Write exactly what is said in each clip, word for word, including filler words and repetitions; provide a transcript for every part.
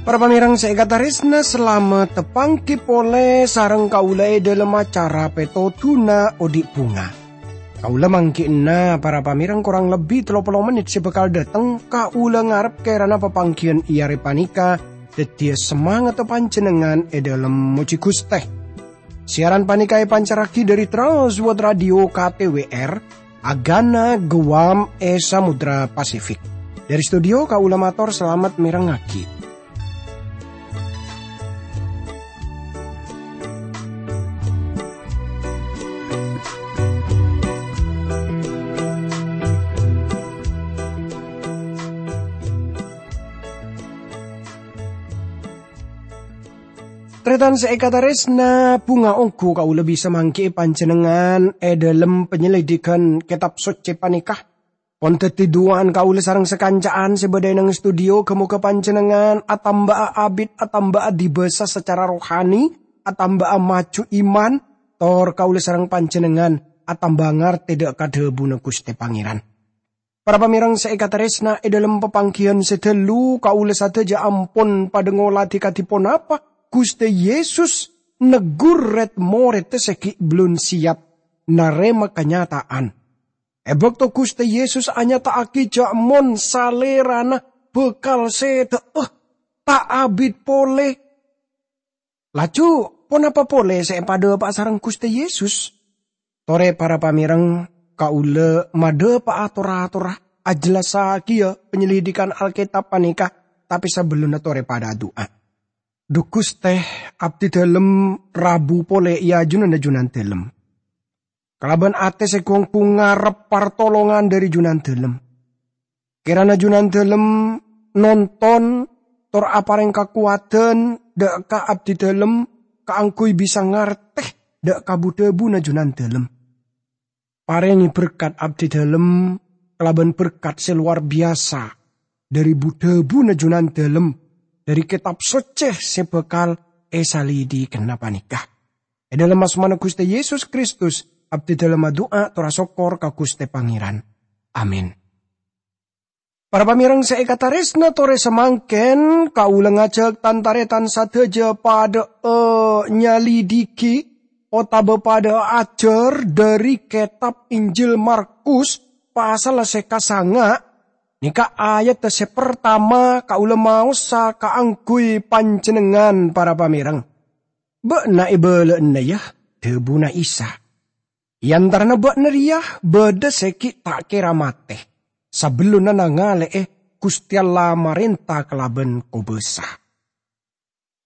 Para pamèrèng sè èkatarèsna, salamet tapangghi polè sareng kaulâ è dhâlem acara Pètodhuna Odi' Bhunga. Kaulâ mangghi'na para pamèrèng korang lebbi tello polo mennit sè bhâkal dâteng, kaulâ ngarep kèrana papangghiyân è arè panèka dhâddhiyâ samangatta panjhennengngan è dhâlem mojhi Ghustè. Siaran panèka èpancarraghi dhâri Trans World Radio K T W R, Agana Guam è Samudra Pasifik. Dhâri studio, kaulâ mator salamet mèrengngaghi. Tarètan sè èkatarèsna, bhunga ongghu kaulâ bisa mangghi'i panjhennengngan è dhâlem panyelidikan Kètab Soccè panèka. Pon dhâddhi du'a'an kaulâ sareng sakanca'an sè bâdâ è nang studio, ghâ-mogâ panjhennengngan atamba'a abit, atamba'a dibâsa sacara rohani, atamba'a maju iman, tor kaulâ sareng panjhennengngan atamba ngartè dhâ' ka dhâbuna Ghustè Pangèran. Para pamèrèng sè èkatarèsna, è dhâlem papangghiyân sè ghâllu, kaulâ sadhâjâ ampon padhâ ngolatè kadhi ponapa Ghustè Yesus neggur rèd-morèdda sè ghi' bellun siyap narèma kanyata'an. È bâkto Ghustè Yesus anyata'aghi jhâ' mon Salèrana bhâkal sèdhâ'â, ta' abit polè, laju ponapa polè sè èpadhâpa'a sareng Ghustè Yesus? Torè para pamèrèng, kaulâ madhâpa'a tor-atorra ajhellassaghiyâ panyelidikan Alkètab panèka, tapè sabellunna torè padhâ adu'a. Dhu Ghustè, abdhi dhâlem rabu polè è ajunanna Junandhâlem. Kalabân atè sè ghung-ghung ngarep partolongan dhâri Junandhâlem. Kèrana Junandhâlem nonton tor aparèng kakowadhân dhâ' ka abdhi dhâlem kaangghuy bisa ngartè dhâ' ka bu-dhâbuna Junandhâlem. Parèngè berkat abdhi dhâlem kalabân berkat sè lowar biyasa dhâri bu-dhâbuna Junandhâlem, dhâri Kètab Soccè sè bhâkal èsalidikana panèka. È dhâlem asmana Ghustè Yesus Kristus, abdhi dhâlem adu'a tor asokkor ka Ghustè Pangèran. Amin. Para pamèrèng sè èkatarèsna, torè samangkèn kaulâ ngajhâk tan-tarètan sadhâjâ padhâ'â nyalidiki otabâ padhâ'â ajhâr dhâri Kètab Injil Markus pasalla sè kasanga', nèka ayadda sè partama kaulâ maosa kaangghuy panjhennengngan para pamèrèng. "Bâ'na èbâlâ'âna, yâ," dhâbuna Isa. "È antarana bâ'na rèya bâdâ sè ghi' ta' kèra matè, sabellunna nangalè'è Ghustè Allah marènta kalabân kobâsa."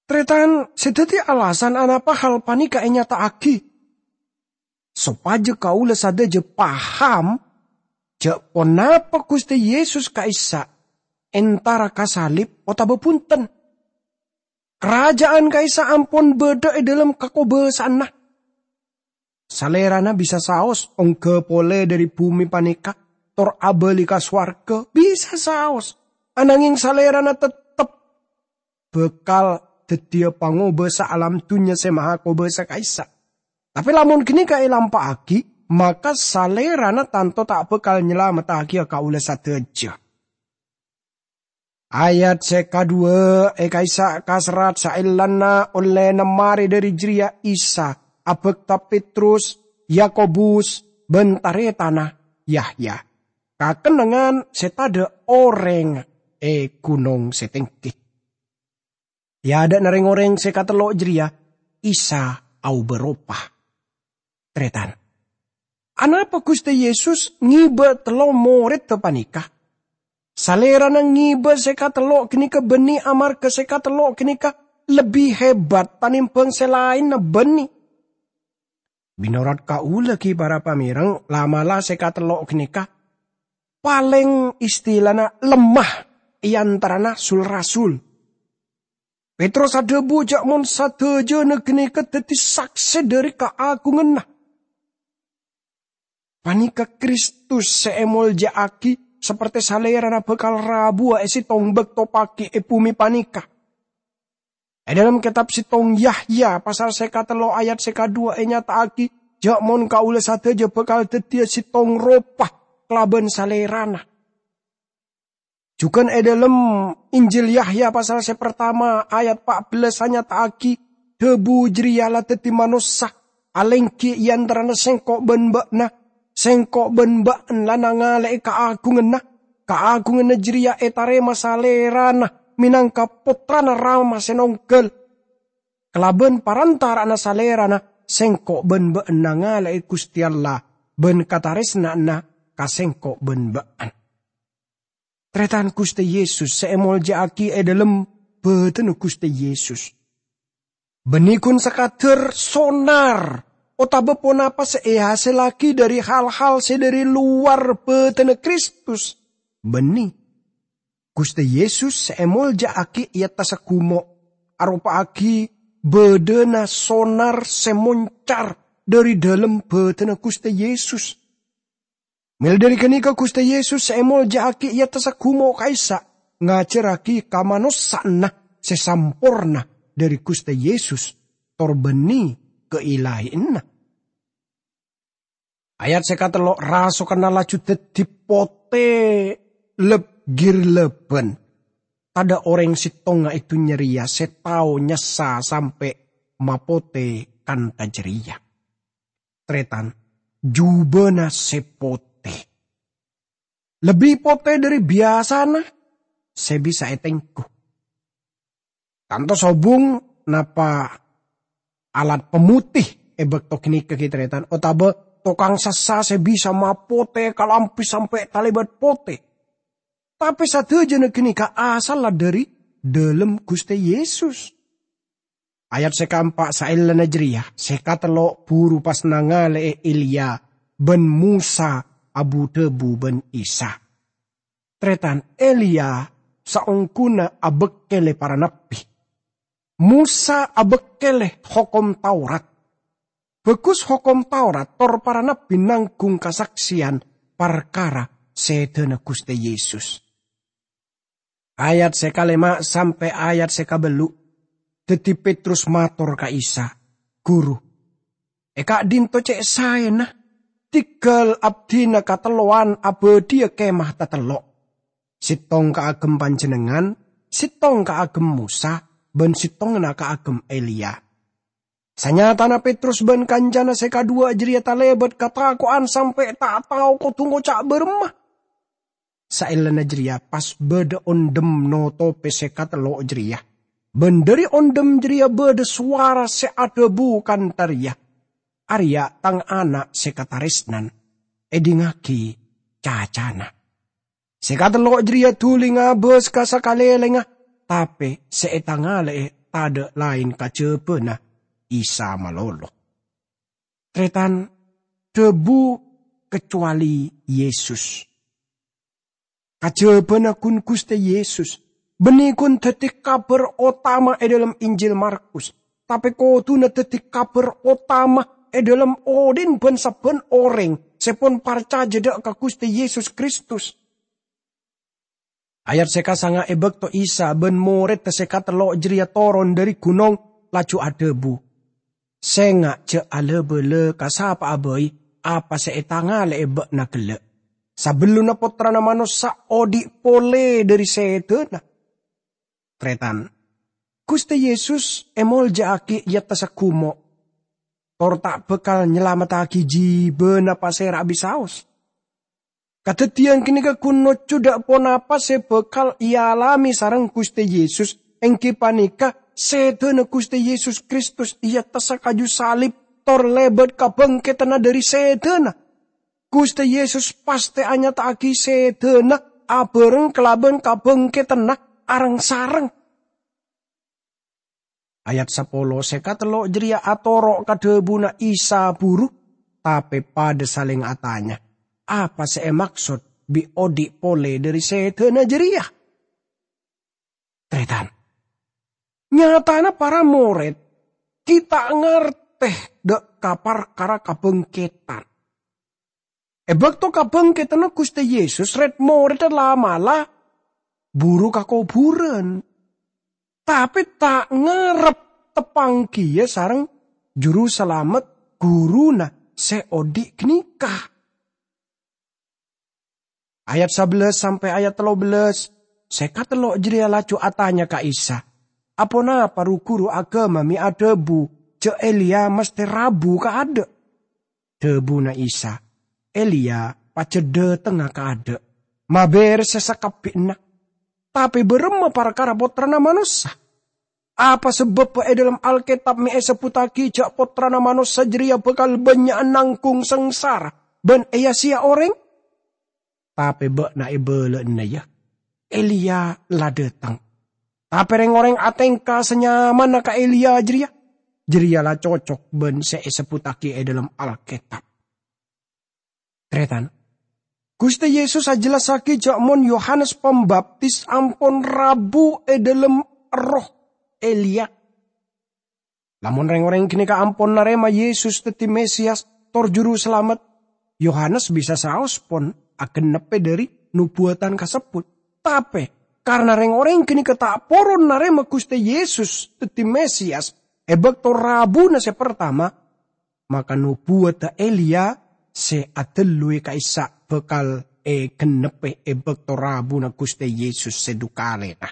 Tarètan, sè dhâddhi alasan anapa hal panèka ènyata'aghi? Sopajâ kaulâ sadhâjâ paham jhâ' ponapa Ghustè Yesus ka'issa' entara ka salib otabâ bhunten. Karaja'an ka'issa' ampon bâdâ è dhâlem kakobâsaanna. Salèrana bisa saos ongghâ polè dhâri bhumè panèka tor abâli ka sowarghâ, bisa saos. Ananghèng Salèrana teptep bhâkal dhâddhiyâ pangobâ saalam dhunnya sè maha kobâsa ka'issa'. Tapè lamon ghânèka èlampa'aghi, maka Salèrana tanto ta' bhâkal nyalamettaghiyâ kaulâ sadhâjâ. Ayat sè kaduwâ' è ka'issa' kaserrat saellana ollèna marè dhâri jârèya Isa abhâkta Petrus, Yakobus, bân tarètanna Yahya ka kennengngan sè tadâ' orèng è ghunong sè tèngghi. È adâ'na rèng-orèng sè katello' jârèya, Isa aobâ ropa. Tarètan, anapa Ghustè Yesus ngibâ tello morèdda panèka? Salèrana ngibâ sè katello' ghânèka bânnè amarghâ sè katello' ghânèka lebbi hebat tanèmbhâng sè laènna bânnè. Mènorot kaulâ ghi, para pamèrèng, la'-mala' sè katello' ghânèka palèng istilana lemma è antarana sul-rasul. Petrus adhâbu jhâ' mon sadhâjâna ghânèka dhâddhi saksè dhâri kaagunganna. Panèka Kristus sè èmolja'aghi, sapertè Salèrana bhâkal rabuwâ è sèttong bâkto paghi è bhumè panèka. È dhâlem kètab sèttong Yahya pasal sè katello' ayat sè kaduwâ' ènyata'aghi, jhâ' mon kaulâ sadhâjâ bhâkal dhâddhiyâ sèttong ropa kalabân Salèrana. Jhughân è dhâlem Injil Yahya pasal sè partama ayat pa' bellâs anyata'aghi, Dhâbu jârèya la dhâddhi manossa, alèngghi è antarana sèngko' bân bâ'na. Sèngko' bân bâ'na la nangalè'è kaagunganna. Kaagunganna jârèya ètarèma Salèrana mènangka Pottrana Rama sè nongghâl. Kalabân parantara'anna Salèrana, sèngko' bân bâ'na nangalè'è Ghustè Allah bân katarèsna'anna ka sèngko' bân bâ'na. Tarètan Ghustè Yesus sè èmoljâ'aghi è dhâlem bhâdhânna Ghustè Yesus. Bânnè ghun sakadhâr sonar otabâ ponapa sè èhasèllaghi dhâri hal-hal sè dhâri lowar bhâdhânna Kristus. Bânnè. Ghustè Yesus sè èmoljâ'aghi è attassa ghumo' aropa'aghi bâdâna sonar sè moncar dhâri dhâlem bhâdhânna Ghustè Yesus. Mèla dhâri ghânèka Ghustè Yesus sè èmoljâ'aghi è attassa ghumo' ka'issa' ngajhârraghi kamanossa'anna sè samporna dhâri Ghustè Yesus, tor bânnè kaèlaènna. Ayat sè katello' rasokanna laju dhâddhi potè lep-ghirlebân. Tadâ' orèng sèttonga è dhunnya rèya sè tao nyassa sampè' mapotè kantha jârèya. Tarètan, jhubâna sè potè. Lebbi potè dhâri biyasana sè bisa ètengghu. Tanto sobung napa alat pemutih è bâkto ghânèka ghi, tarètan, otabâ tokang sassa sè bisa mapotè kalambhi sampè' talèbât potè. Tapè sadhâjâna ghânèka asalla dhâri dhâlem Ghustè Yesus. Ayat sè kaempa' saellana jârèya, sè katello' buru pas nangalè'è Eliya bân Mosa abu-dhâbu bân Isa. Tarètan, Eliya saongghuna abâkkèlè para nabbhi. Mosa abâkkèlè Hokom Taurat. Bhâghus Hokom Taurat tor para nabbhi nangghung kasaksèyan parkara sèdhâna Ghustè Yesus. Ayat sè kalèma' sampè' ayat sè kabâllu', dhâddhi Petrus mator ka Isa, "Ghuru, è ka'dinto cè' saèna, dhingghâl abdhina katello'an abâdhiyâ kemah tatello', sèttong kaagem panjhennengngan, sèttong kaagem Mosa, bân sèttongnga kaagem Eliya." Sanyatana Petrus bân kancana sè kadhuwâ' jârèya talèbât katako'an sampè' ta' tao kodhu ngoca' bârâmma. Saellana jârèya pas bâdâ ondhem notopè sè katello' jârèya. Bân dhâri ondhem jârèya bâdâ sowara sè adhâbu kantha rèya, "Arèya' Tang Ana' sè katarèsnan, èdingngaghi cacana." Sè katello' jârèya dhuli ngabâs ka sakalèlèngnga, tapè sè ètangalè'è tadâ' laèn kajhâbhâna Isa malolo. Tarètan, dhâbu kacowalè Yesus. Kajhâbhâna ghun Ghustè Yesus, bânnè ghun dhâddhi kabhâr otama è dhâlem Injil Markus, tapè kodhuna dhâddhi kabhâr otama è dhâlem odhi'na bân sabbhân orèng sè pon parcajâ dâ' ka Ghustè Yesus Kristus. Ayat sè kasanga', è bâkto Isa bân morèdda sè katello' jârèya toron dhâri ghunong, laju adhâbu, "Sènga' jhâ' la-bâlâ ka sapa'a bhâi apa sè ètangalè'è bâ'na ghellâ', sabellunna Pottrana Manossa odhi' polè dhâri sèdhâna." Tarètan, Ghustè Yesus èmoljâ'aghi è attassa ghumo', tor ta' bhâkal nyalamettaghi jhibâna pasèra abisaos. Kadhâddhiyân ghânèka ghun nojjhu dâ' ponapa sè bhâkal èalamè sareng Ghustè Yesus, èngghi panèka sèdhâna Ghustè Yesus Kristus è attassa kaju salib tor lèbât kabhângkèdhânna dhâri sèdhâna. Ghustè Yesus pastè anyata'aghi sèdhâna abhâreng kalabân kabhângkèdhânna areng-sareng. Ayat sapolo sè katello' jârèya atoro' ka dhâbuna Isa buru, tapè padâ salèng atanya, "Apa sè èmaksod bi' odhi' polè dhâri sèdhâna jârèya?" Tarètan, nyatana para morèd ghi' ta' ngartè dâ' ka parkara kabhângkèdhân. È bâkto kabhângkèdhânna Ghustè Yesus, rèd-morèdda la'-mala' buru ka kobhurân. tape ta' ngarep teppa'an keya sareng Juru Salamet Guruna se odhi' ganeka. Ayat sabellâs sampè' ayat tello bellâs, se katello' jareya laju atanya ka Isa, "Aponapa ru-guru agama me' adhabu ja' Eliya mastè rabu kaadha'?" Dhabuna Isa, "Eliya pajhât dhatengnga kaadha', maberse sakabbhiyânna. Tape bârâmma parkara Pottrana Manossa? Apa sabâbbhâ e dhalem Alketab me' esebbuttagi ja' Pottrana Manossa jareya bakal bânnya'an nanggung sangsara ban eya-seya oreng?" Tape bâ'na ebala'ana, ya, Eliya la dhateng. Tape reng-oreng atengka sanyamana ka Eliya jareya, jareya la cocok ban se esebbuttagi e dhalem Alketab. Taretan, Guste Yesus ajellassagi ja' mon Yohanes Pambaptis ampon rabu e dhalem erroh Eliya. Lamon reng-oreng ganeka ampon narema Yesus daddi Mesiyas tor Juru Salamet, Yohanes bisa saos pon agenneppe dhari nobuwatan kasebbut. Tape, karna reng-oreng ganeka ta' poron narema Guste Yesus daddi Mesiyas e bakto rabuna se partama, maka nobuwadda Eliya se adalluwi ka'issa' bakal egenneppe e bakto rabuna Guste Yesus se dukalena.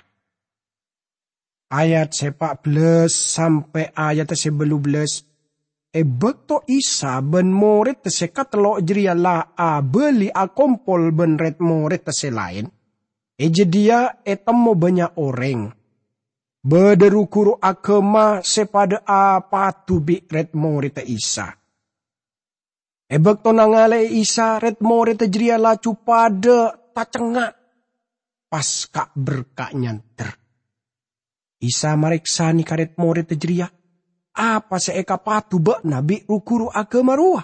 Ayat se pa' bellâs sampe' ayat se bâllu bellâs. E bakto Isa ban moredda se katello' jareya la abali akompol ban red-moredda se laen, e jadhiya etemmo bannya' oreng. Badha ru-guru agama se padha apadu bi' red-moredda Isa. E bakto nangale'e Isa, red-moredda jareya laju padha tacengnga', pas ka'-berka' nyander. Isa mareksane ka red-moredda jareya, "Apa se ekapadu ba'na bi' ru-guru agama rowa?"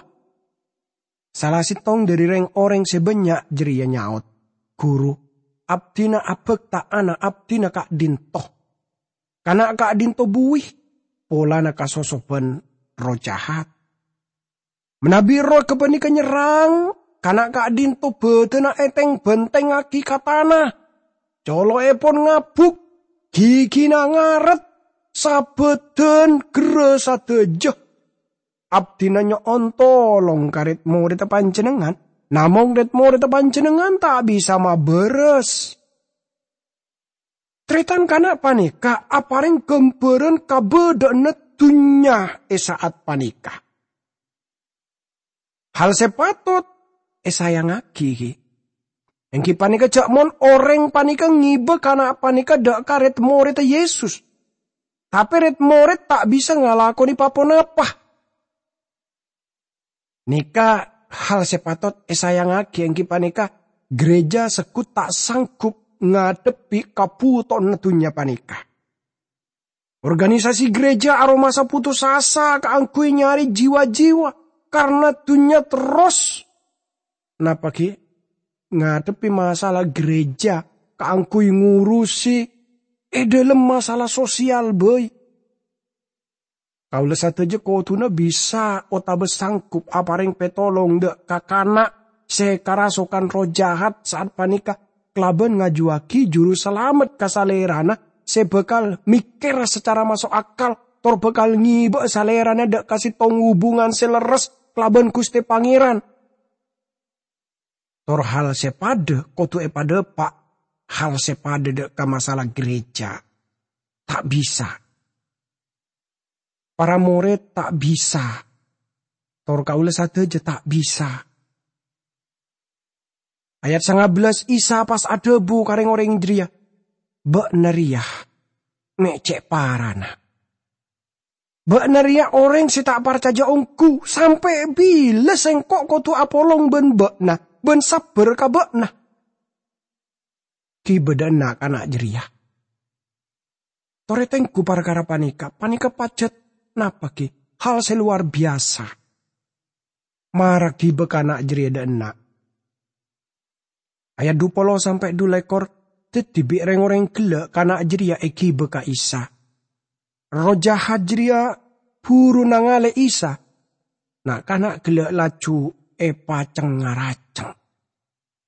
Sala settong dhari reng-oreng se bannya' jareya nyaot, "Guru, abdina abakta ana' abdina ka'dhinto. Kana' ka'dhinto buwi polana kasosoban erroh jahat." Manabi erroh gapaneka nyerrang, kana' ka'dhinto badanna eteng-bantengngagi ka tana. Colo'epon ngabuk, gigina ngaret, sabadan gerra sadaja. Abdina nyo'on tolong ka red-moredda panjennengngan, namong red-moredda panjennengngan ta' bisa mabaras. Taretan, kana' paneka apareng gambaran kabadha'anna dunnya e sa'at paneka. Hal se patot esayangngagi, enggi paneka ja' mon oreng paneka ngeba kana' paneka dha' ka red-moredda Yesus. Tape red-mored ta' bisa ngalakone pa-ponapa. Neka hal se patot esayangngagi, enggi paneka gereja seggut ta' sanggup ngadhebbi kabutowanna dunnya paneka. Organisasi gereja aromasa putus asa kaangguy nyare jiwa-jiwa karna dunnya terros, napa gi, ngadhebbi masalah gereja kaangguy ngurusi e dhalem masalah sosial bai. Kaula sadaja koduna bisa otaba sanggup apareng petolong dha' ka kana' se karasokan erroh jahat sa'at paneka kalaban ngajuwagi Juru Salamet ka Salerana se bakal mekkera sacara maso' akal, tor bakal ngeba'a Salerana dha' ka settong hubungan se lerres kalaban Guste Pangeran. Tor hal se padha kodu epadhapa', hal se padha dha' ka masalah gereja. Ta' bisa. Para mored ta' bisa. Tor kaula sadaja ta' bisa. Ayat sanga bellâs, Isa pas adhabu ka reng-oreng jareya, "Ba'na reya me' ce' parana. Ba'na reya oreng se ta' parcaja onggu. Sampe' bila Sengko' kodu apolong ban ba'na, ban sabbar ka ba'na?" Gi badha na'-kana' jareya. Tore tenggu parkara paneka. Paneka pajat napa gi? Hal se luar biasa. Mara giba kana' jareya dha' enna'. Ayat dhu polo sampe' dhu lekor, daddi bi' reng-oreng gella' kana' jareya egiba ka Isa. Erroh jahat jareya buru nangale Isa. Na'-kana' gella' laju epaceng-ngaraceng.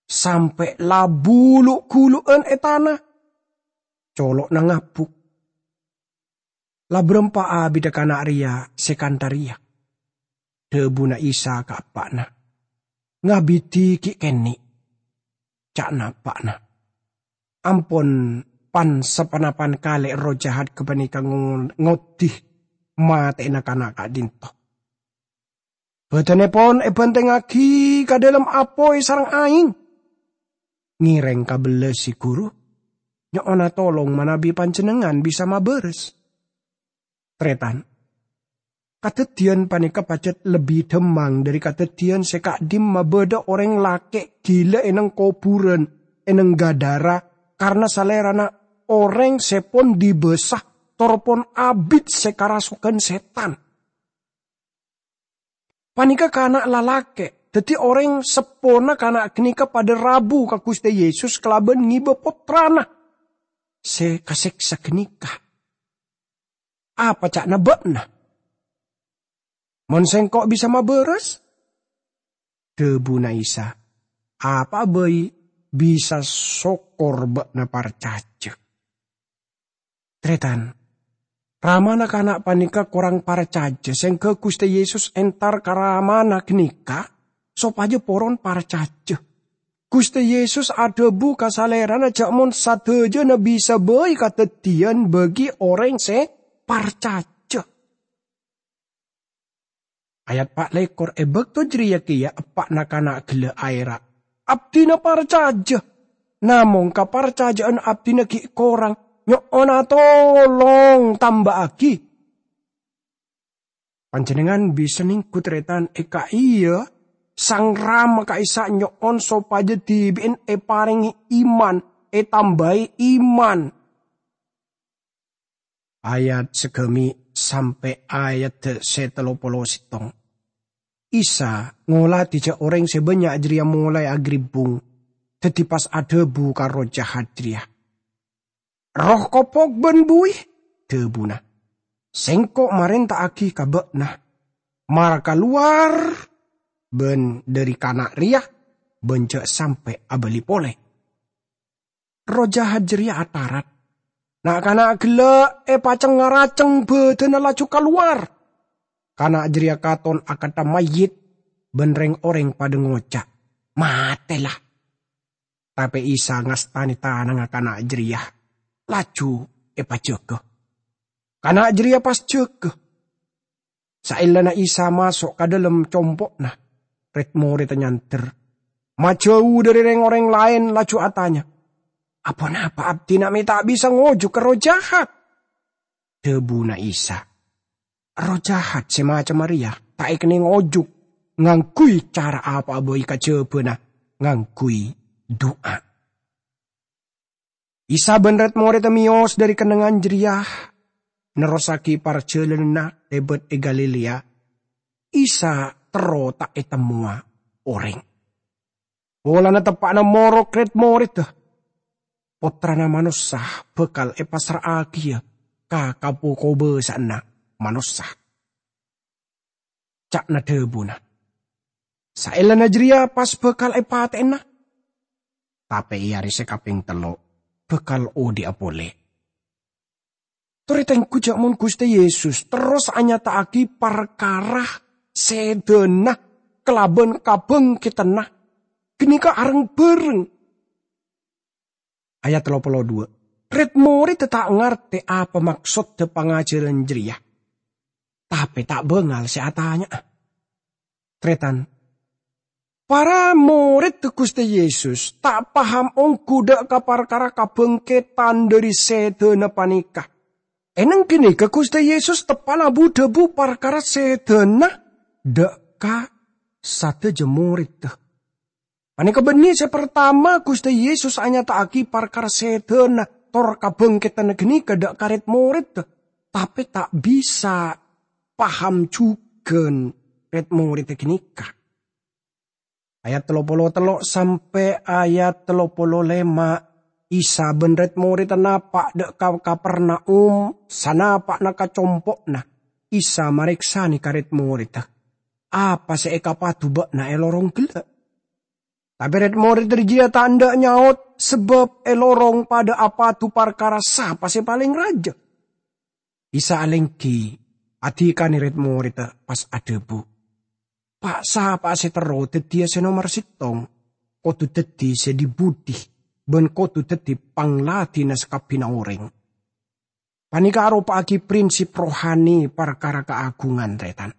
Sampe' la bulu'-gulu'an e tana. Colo'na ngabuk. "La bârâmpa abiddhâ kana' rèya sè kantha rèya?" Dhâbuna Isa ka eppa'na, "Ngabidi ghi' kènè'," ca'na eppa'na. Ampon pan-saponapan kalè erroh jahat ghâpanèka ngo-, ngoddi matè'ana kana' ka'dinto. "Bâdânèpon èbhântèngngaghi ka dhâlem apoy sareng aèng. Ngèrèng kabellâs, Guru. Nyo'ona tolong manabi Panjhennengngan bisa mabârâs." Tarètan, kadhâddhiyân panèka pajhât lebbi dhâmmang dhâri kadhâddhiyân sè ka'dimma bâdâ orèng lakè' ghilâ è neng kobhurân, è neng Gadara, karna salèrana orèng sè pon dibâsa tor pon abit sè karasoghân sètan. Panèka kana' lalakè', dhâddhi orèng seppona kana' ghânèka padâ rabu ka Ghustè Yesus kalabân ngèbâ pottrana sè kasèksa ghânèka. "Apa ca'na bâ'na? Mon sèngko' bisa mabârâs?" Dhâbuna Isa, "Apa'a bhâi bisa sokor bâ'na parcajâ." Tarètan, ramana kana' panèka korang parcajâ, sèngghâ Ghustè Yesus entar ka ramana ghânèka sopajâ poron parcajâ. Ghustè Yesus adhâbu ka Salèrana jhâ' mon sadhâjâna bisa bhâi kadhâddhiyân bagi orèng sè parcajâ. Ayat pa' lèkor, "È bâkto jârèya kèya eppa'na kana' ghellâ' aèra', 'Abdhina parcajâ, namong kaparcajâ'ân abdhina ghi' korang, nyo'ona tolong tambâ'aghi.' Panjhennengngan bisa nèngghu tarètan è ka'iyâ Sang Rama ka'issa' nyo'on sopajâ dhibi'en èparèngè iman, ètambâi iman." Ayat sagâmè' sampè' ayat sè tello polo sèttong. Isa ngolatè jhâ' orèng sè bânnya' jârèya molaè agribbung, dhâddhi pas adhâbu ka erroh jahat jârèya, "Erroh kopok bân buwi," dhâbuna, "Sèngko' marènta'aghi ka bâ'na, mara kalowar bân dhâri kana' rèya, bân jhâ' sampè' abâli polè." Erroh jahat jârèya atarat. Na'-kana' ghellâ' èpaceng-ngaraceng bâdânna laju kalowar. Kana' jârèya katon akantha mayyit, bân rèng-orèng padâ ngoca', "Matè, la!" Tapè Isa ngastanè tanangnga kana' jârèya, laju èpajâgâ. Kana' jârèya pas jâgâ. Saellana Isa maso' ka dhâlem compo'na, red-moredda nyandher, majâu dhâri rèng-orèng laèn, laju atanya, "Aponapa abdhina mè' ta' bisa ngojuk erroh jahat?" Dhâbuna Isa, "Erroh jahat sè macemma rèya ta' èkennèng ojuk ngangghuy cara apa'a bhâi kajhâbhâna ngangghuy du'a." Isa bân red-moredda mèyos dhâri kennengngan jârèya, nerrossaghi parjhâlânanna lèbât è Galilea. Isa terro ta' ètemmowa orèng. Polana teppa'na morok red-moredda, Pottrana Manossa bhâkal èpassra'aghiyâ ka kapo-kobâsa'anna manossa. Ca'na dhâbuna, "Saellana jârèya pas bhâkal èpatè'ana, tapè è arè sè kapèng tello' bhâkal odhi'a polè." Torè tengghu jhâ' mon Ghustè Yesus terros anyata'aghi parkara sèdhâna kalabân kabhângkeddhânna ghânèka areng-bhâreng. Ayat tello polo dua. Red-moredda ta' ngartè apa maksodda pangajhârân jârèya, tapè ta' bângal sè atanya'a. Tarètan, para moredda Ghustè Yesus ta' paham ongghu dhâ' ka parkara kabhângkeddhân dhâri sèdhâna panèka. È neng ghânèka Ghustè Yesus teppa'na bu-dhâbu parkara sèdhâna dhâ' ka sadhâjâ moredda. Panèka bânnè sè partama Ghustè Yesus anyata'aghi parkara sèdhâna tor kabhângkeddhânna ghânèka dhâ' ka red-moredda, tapè ta' bisa paham jhughân red-moredda ghânèka. Ayat tello polo tello' sampè' ayat tello polo lèma', Isa bân red-moredda napa' dhâ' ka Kapernaum, sanapa'na ka compo'na, Isa marèksanè ka red-moredda, "Apa sè èkapadu bâ'na è lorong ghellâ'?" Tapè red-moredda jârèya ta' endâ' nyaot, sabâb è lorong padâ apadu parkara sapa sè palèng rajâ. Isa alèngghi adhikana rèd-morèdda, pas adhâbu, "Pa'-sapa'a sè terro dhâddhiyâ sè nomer sèttong, kodhu dhâddhi sè dhi-budhi, bân kodhu dhâddhi pangladhina sakabbhiyânna orèng." Panèka aropa'aghi prinsip rohani parkara kaagungan, tarètan.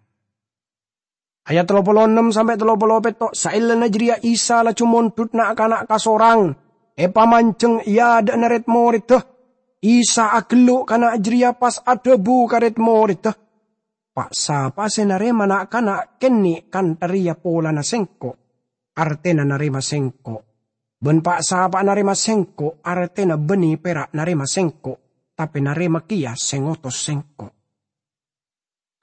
Ayat tello polo ennem sampè' tello polo pètto', saellana jârèya Isa laju mondhut na'-kana' kasorang, èpamanjheng è adâ'na rèd-morèdda. Isa aghelluk kana' jârèya, pas adhâbu ka rèd-morèdda, "Pa'-sapa'a sè narèma na'-kana' kènè' kantha rèya polana Sèngko', artèna narèma Sèngko'. Bân pa'-sapa'a narèma Sèngko', artèna bânnè pèra' narèma Sèngko', tapè narèma kèya sè ngotos Sèngko'."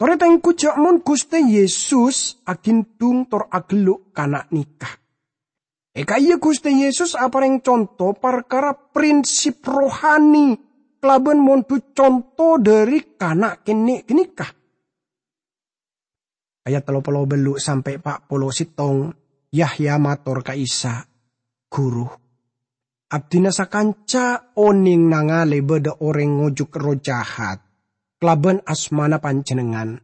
Torè tèngghu jâ' mon Ghustè Yesus aghindhung tor aghelluk kana' nèka. È ka'iyâ Ghustè Yesus aparèng conto parkara prinsip rohani kalabân mondhut conto dhâri kana' kènè' ghânèka. Ayat tello polo bâllu' sampè' pa' polo sèttong, Yahya mator ka Isa, "Ghuru, abdhina sakanca onèng nangalè bâdâ orèng ngojuk erroh jahat kalabân asmana Panjhennengngan.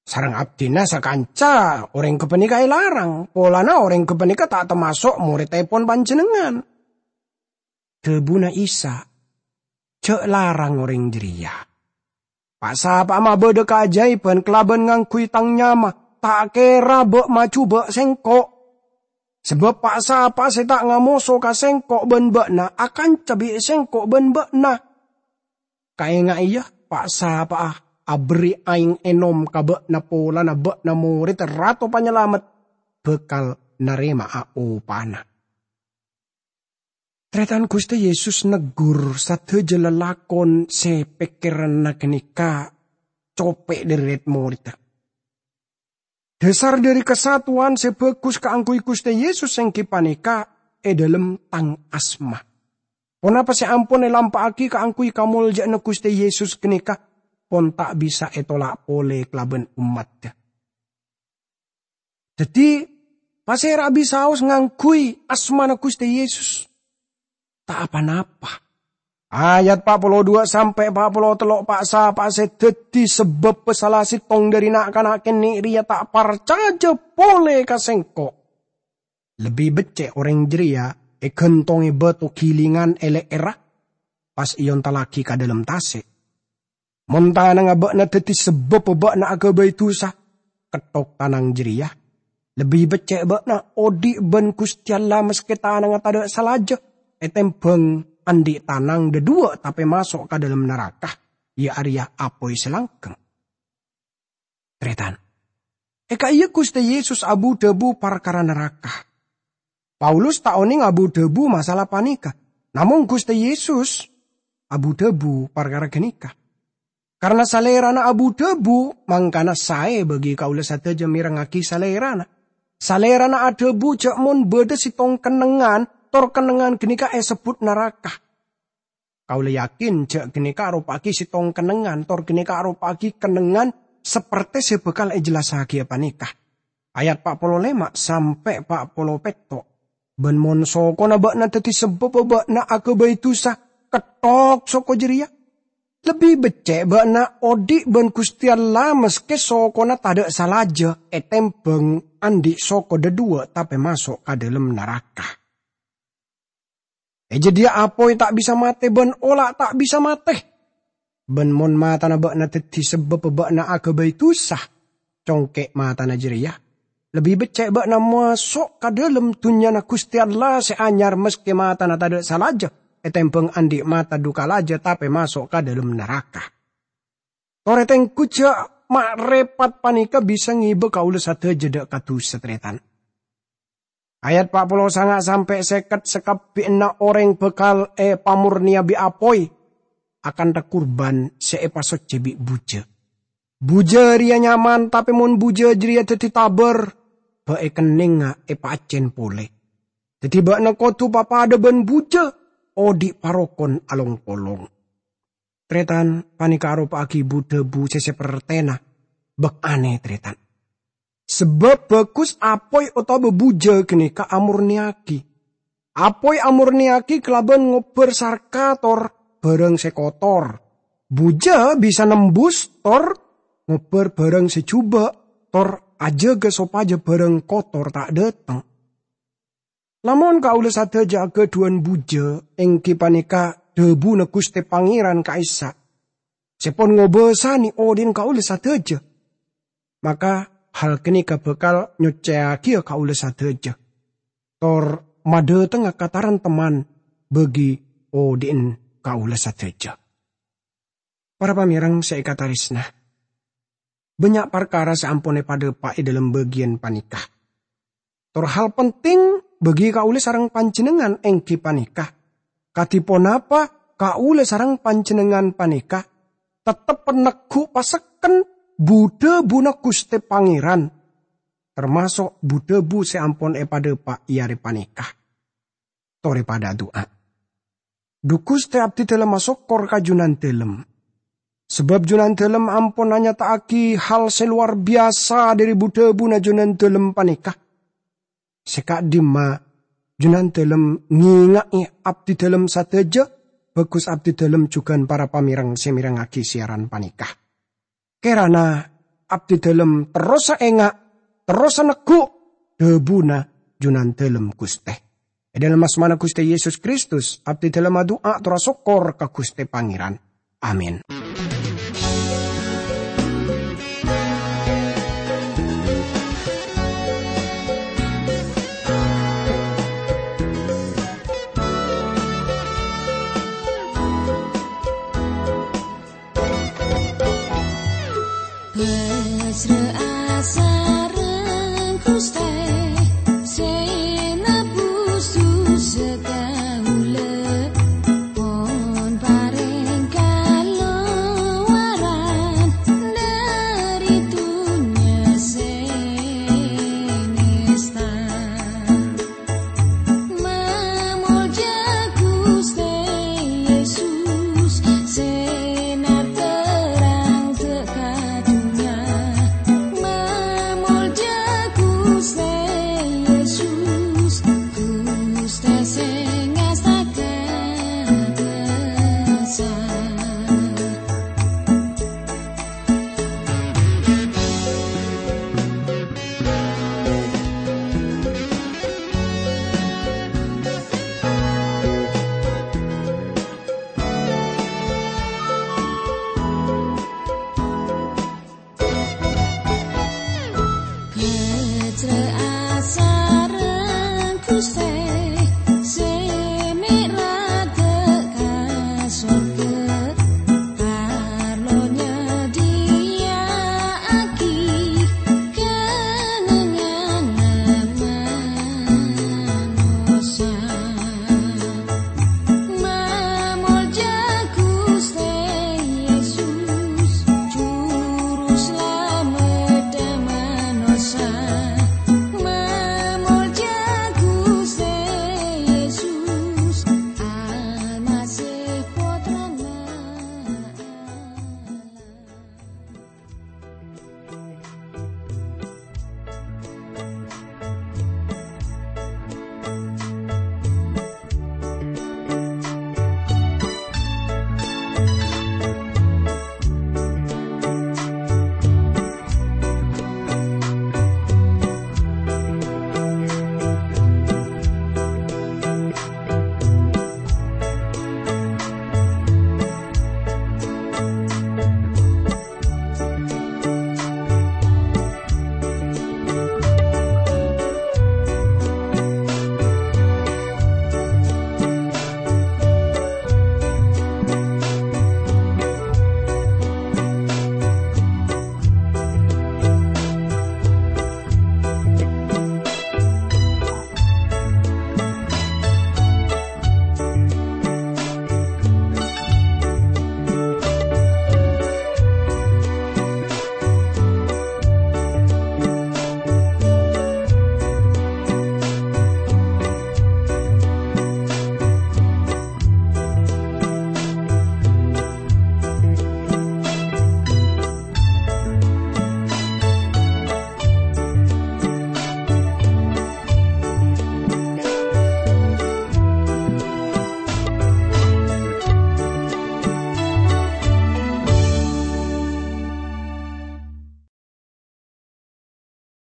Sareng abdhina sakanca orèng ghâpanèka èlarang, polana orèng ghâpanèka ta' tamaso' morèddhâpon Panjhennengngan." Dhâbuna Isa, "Jhâ' larang orèng jârèya. Pa'-sapa'a mabâdâ kaajâibhân kalabân ngangghuy Tang nyama, ta' kèra bâ' majhubâ' Sèngko'. Sabâb pa'-sapa'a sè ta' ngamoso ka Sèngko' bân bâ'na akanca bi' Sèngko' bân bâ'na. Kaènga'è, yâ, pa'-sapa'a aberri' aèng ènom ka bâ'na polana bâ'na morèdda Rato Panyalamet, bhâkal narèma'a opana." Tarètan, Ghustè Yesus neggur sadhâjâ lalakon sè pèkkèranna ghânèka copè' dhâri rèd-morèdda. Dhâsar dhâri kasatowan sè bhâghus kaangghuy Ghustè Yesus èngghi panèka è dhâlem Tang asma. Ponapa sè ampon èlampa'aghi kaangghuy kamoljâ'ânna Ghustè Yesus ghânèka pon ta' bisa ètolak polè kalabân ommaddhâ. Dhâddhi, pasèra bisaos ngangghuy asmana Ghustè Yesus? Ta' pa-napa. Ayat pa' polo duwâ' sampè' pa' polo tello', pa'-sapa'a sè dhâddhi sabâbbhâ sala sèttong dhâri na'-kana' kènè' rèya ta' parcajâ polè ka Sèngko'. Lebbi beccè' orèng jârèya èghântongè bâto ghilingan è lè'èrra, pas èontallaghi ka dhâlem tasè'. Mon tanangnga bâ'na dhâddhi sabâbbhâ bâ'na aghâbây dhusa, kettok tanang jârèya. Lebbi beccè' bâ'na odi' bân Ghustè Allah maskè tanangnga tadâ' salajâ, ètèmbhâng andi' tanang dhâduwâ' tapè maso' ka dhâlem naraka, iyâ arèya apoy sè langghâng. Tarètan, è ka'iyâ Ghustè Yesus abu-dhâbu parkara naraka. Paulus ta' onèng abu-dhâbu masalah panèka, namong Ghustè Yesus abu-dhâbu parkara ghânèka. Karna Salèrana abu-dhâbu, mangkana saè bagi kaulâ sadhâjâ mèrengngaghi Salèrana. Salèrana adhâbu jâ' mon bâdâ sèttong kennengngan, tor kennengngan ghânèka èsebbhut naraka. Kaulâ yakin jâ' ghânèka aropa'aghi sèttong kennengngan, tor ghânèka aropa'aghi kennengngan sapertè sè bhâkal èjellassaghiyâ panèka. Ayat pa' polo lèma' sampè' pa' polo pètto'. "Bân mon sokona bâ'na dhâddhi sabâbbhâ bâ'na aghâbây dhusa, kettok soko jârèya. Lebbi beccè' bâ'na odi' bân Ghustè Allah maskè sokona tadâ' salajâ, ètèmbhâng andi' soko dhâduwâ' tapè maso' ka dhâlem naraka." È jâdiyâ apoy ta' bisa matè bân ola' ta' bisa matè. Bân mon matana bâ'na dhâddhi sabâbbhâ bâ'na aghâbây dhusa, congkè' matana jârèya. Lebbi beccè' bâ'na maso' ka dhâlem dhunnyana Ghustè Allah sè anyar maskè matana tadâ' salajâ, ètèmbhâng andi' mata dhu kalajâ tapè maso' ka dhâlem naraka. Torè tèngghu jâ' ma' rèpat panèka bisa ngèbâ kaulâ sadhâjâ dâ' ka dhusa, tarètan. Ayat pa' polo sanga' sampè' sèket, sakabbhiyanna orèng bhâkal èpamornèya bi' apoy akantha kurban sè èpasoccè bi' bujâ. Bujâ rèya nyaman, tapè mon bujâ jârèya dhâddhi tabâr, bâ' èkennèngnga èpaaccèn polè. Dhâddhi bâ'na kodhu papadâ bân bujâ, odi' parokon along-polong. Tarètan, panèka aropa'aghi bu-dhâbu sè sapertèna bâk anè, tarètan. Sabâb bhâghus apoy otabâ bujâ ghânèka amornèyaghi. Apoy amornèyaghi kalabân ngobbhâr sarka tor bhârâng sè kotor. Bujâ bisa nembus tor ngobbhâr bhârâng sè jhubâ', tor ajâgâ sopajâ bhârâng kotor ta' dâteng. Lamon kaulâ sadhâjâ aghâdhuwân bujâ, èngghi panèka dhâbuna Ghustè Pangèran ka'issa', sè pon ngobâsanè odhi'na kaulâ sadhâjâ, maka hal ghânèka bhâkal nyoccèyaghiyâ kaulâ sadhâjâ, tor madhâtengnga kataremtemman bagi odhi'na kaulâ sadhâjâ. Para pamèreng sè èkatarèsna, bânnya' parkara sè ampon èpadhâpa' è dhâlem bâgiyân panèka. Tor hal penting bagi kaulâ sareng panjhennengngan èngghi panèka, kadhi ponapa kaulâ sareng panjhennengngan panèka tettep negghu' pasekken bu-dhâbuna Ghustè Pangèran, tamaso' bu-dhâbu sè ampon èpadhâpa' è arè panèka. Torè padâ adu'a. Dhu Ghustè, abdhidhâlem asokkor ka Junandhâlem. Sabâb Junandhâlem ampon anyata'aghi hal sè lowar biyasa dhâri bu-dhâbuna Junandhâlem panèka. Sè ka'dimma Junandhâlem ngènga'è abdhidhâlem sadhâjâ, bhâghus abdhidhâlem jhughân para pamèreng sè mèrengngaghi siyaran panèka. Kèrana abdhidhâlem terrosa enga', terrosa negghu' dhâbuna Junandhâlem Ghustè. È dhâlem asmana Ghustè Yesus Kristus, abdhidhâlem adu'a tor asokkor ka Ghustè Pangèran. Amin. Pasra'a